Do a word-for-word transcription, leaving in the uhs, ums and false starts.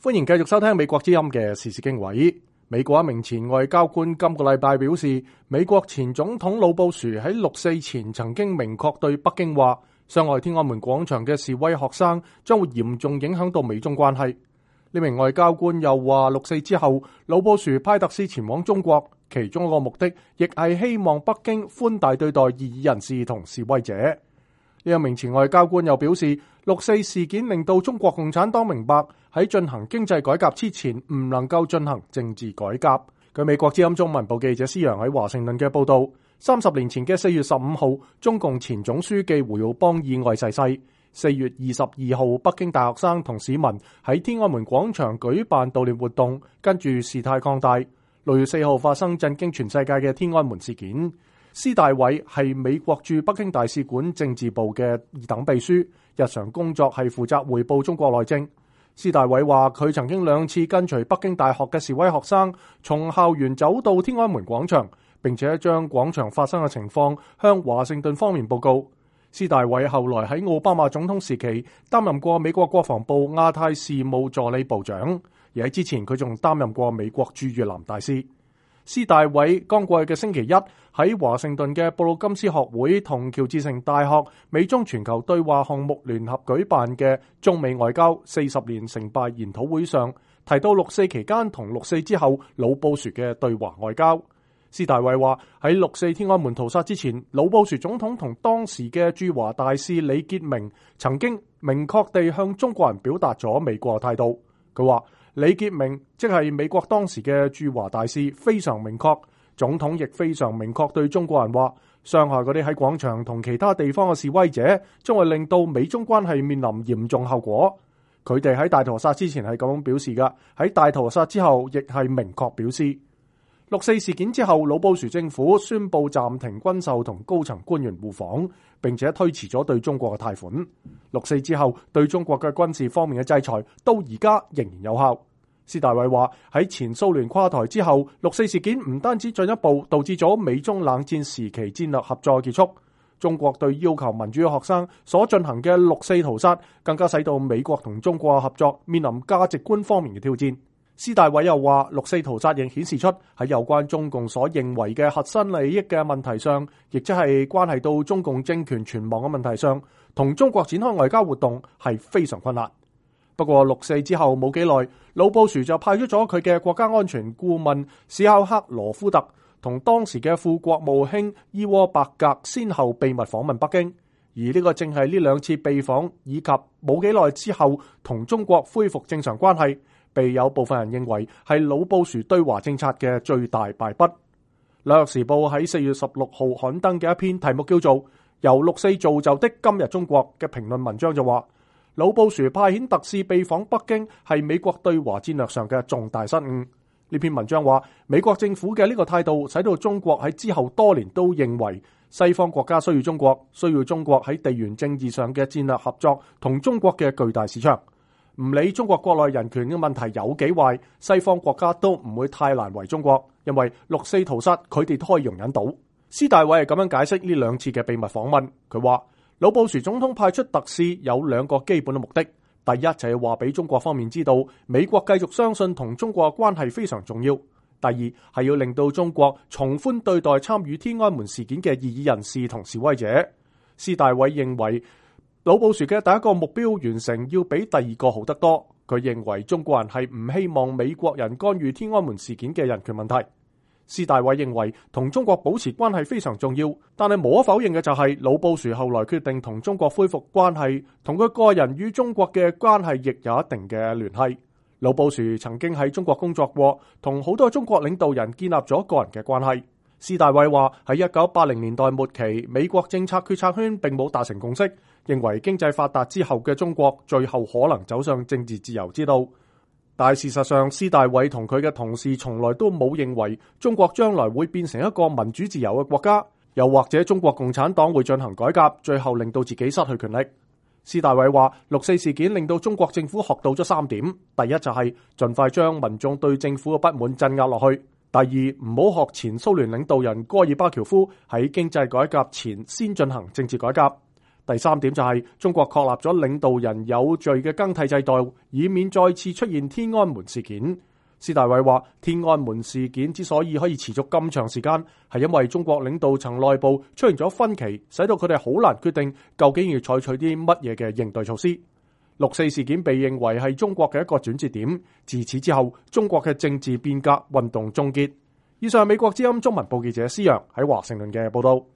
歡迎繼續收聽美國之音嘅時事經緯。美國一名前外交官今個禮拜表示，美國前總統老布殊喺六四前曾經明確對北京話，傷害天安門廣場嘅示威學生將會嚴重影響到美中關係。呢名外交官又話，六四之後，老布殊派特使前往中國，其中一個目的亦係希望北京寬大對待異議人士同示威者。呢一名前外交官又表示，六四事件令到中國共產黨明白喺進行經濟改革之前唔能夠進行政治改革。據美國之音中文部記者施洋喺華盛頓嘅報道，三十年前嘅四月十五號，中共前總書記胡耀邦意外逝世。四月二十二號，北京大學生同市民喺天安門廣場舉辦悼念活動，跟住事態擴大。六月四號發生震驚全世界嘅天安門事件。施大偉係美國駐北京大使館政治部嘅二等秘書，日常工作係負責匯報中國內政。施大偉話佢曾經兩次跟隨北京大學嘅示威學生從校園走到天安門廣場，並且將廣場發生嘅情況向華盛頓方面報告。施大偉後來喺奧巴馬總統時期擔任過美國國防部亞太事務助理部長，而喺之前佢仲擔任過美國駐越南大使。施大偉剛過去嘅星期一喺華盛頓嘅布魯金斯學會同喬治城大學美中全球對話項目聯合舉辦嘅中美外交四十年成敗研討會上，提到六四期間同六四之後老布殊嘅對華外交。施大偉話喺六四天安門屠殺之前，老布殊總統同當時嘅駐華大使李傑明曾經明確地向中國人表達咗美國態度。佢話李傑明即係美國當時嘅駐華大使，非常明確，總統亦非常明確對中國人話，傷害嗰啲喺廣場同其他地方嘅示威者，將會令到美中關係面臨嚴重後果。佢哋喺大屠殺之前係咁樣表示㗎，喺大屠殺之後亦係明確表示。六四事件之後，老布殊政府宣布暫停軍售同高層官員互訪，並且推遲咗對中國嘅貸款。六四之後，對中國嘅軍事方面嘅制裁到而家仍然有效。施大偉話喺前蘇聯垮台之後，六四事件唔單止進一步導致咗美中冷戰時期戰略合作結束，中國對要求民主嘅學生所進行嘅六四屠殺，更加使到美國同中國嘅合作面臨價值觀方面嘅挑戰。施大偉又話，六四屠殺亦顯示出喺有關中共所認為嘅核心利益嘅問題上，亦即係關係到中共政權存亡嘅問題上，同中國展開外交活動係非常困難。不過六四之後冇幾耐，老布殊就派出咗佢嘅國家安全顧問史考克羅夫特同當時嘅副國務卿伊沃伯格先後秘密訪問北京，而呢個正係呢兩次秘訪以及冇幾耐之後同中國恢復正常關係，被有部分人認為係老布殊對華政策嘅最大敗筆。紐約時報喺四月十六號刊登嘅一篇題目叫做《由六四造就的今日中國》嘅評論文章就話，老布殊派遣特使秘訪北京係美國對華戰略上嘅重大失誤。呢篇文章話，美國政府嘅呢個態度使到中國喺之後多年都認為西方國家需要中國，需要中國喺地緣政治上嘅戰略合作同中國嘅巨大市場。唔理中國國內人權嘅問題有幾壞，西方國家都唔會太難為中國，因為六四屠殺佢哋都可以容忍到。施大偉係咁樣解釋呢兩次嘅秘密訪問，佢話老布殊總統派出特使有兩個基本嘅目的，第一就係話俾中國方面知道美國繼續相信同中國嘅關係非常重要，第二係要令到中國從寬對待參與天安門事件嘅異議人士同示威者。施大偉認為老布殊嘅第一個目標完成要比第二個好得多，佢認為中國人係唔希望美國人干預天安門事件嘅人權問題。施大偉認為同中國保持關係非常重要，但係無可否認嘅就係老布殊後來決定同中國恢復關係，同佢個人與中國嘅關係亦有一定嘅聯繫。老布殊曾經喺中國工作過，同好多中國領導人建立咗個人嘅關係。施大偉話喺一九八零年代末期，美國政策決策圈並冇達成共識，認為經濟發達之後嘅中國最後可能走上政治自由之道。但係事實上，施大偉同佢嘅同事從來都冇認為中國將來會變成一個民主自由嘅國家，又或者中國共產黨會進行改革，最後令到自己失去權力。施大偉話六四事件令到中國政府學到咗三點，第一就係盡快將民眾對政府嘅不滿鎮壓落去。第二，唔好學前蘇聯領導人戈爾巴喬夫喺經濟改革前先進行政治改革。第三點就係中國確立咗領導人有序嘅更替制度，以免再次出現天安門事件。施大偉話：天安門事件之所以可以持續咁長時間，係因為中國領導層內部出現咗分歧，使到佢哋好難決定究竟要採取啲乜嘢嘅應對措施。六四事件被認為係中國嘅一個轉折點，自此之後，中國嘅政治變革運動終結。以上係美國之音中文部記者施洋喺華盛頓嘅報道。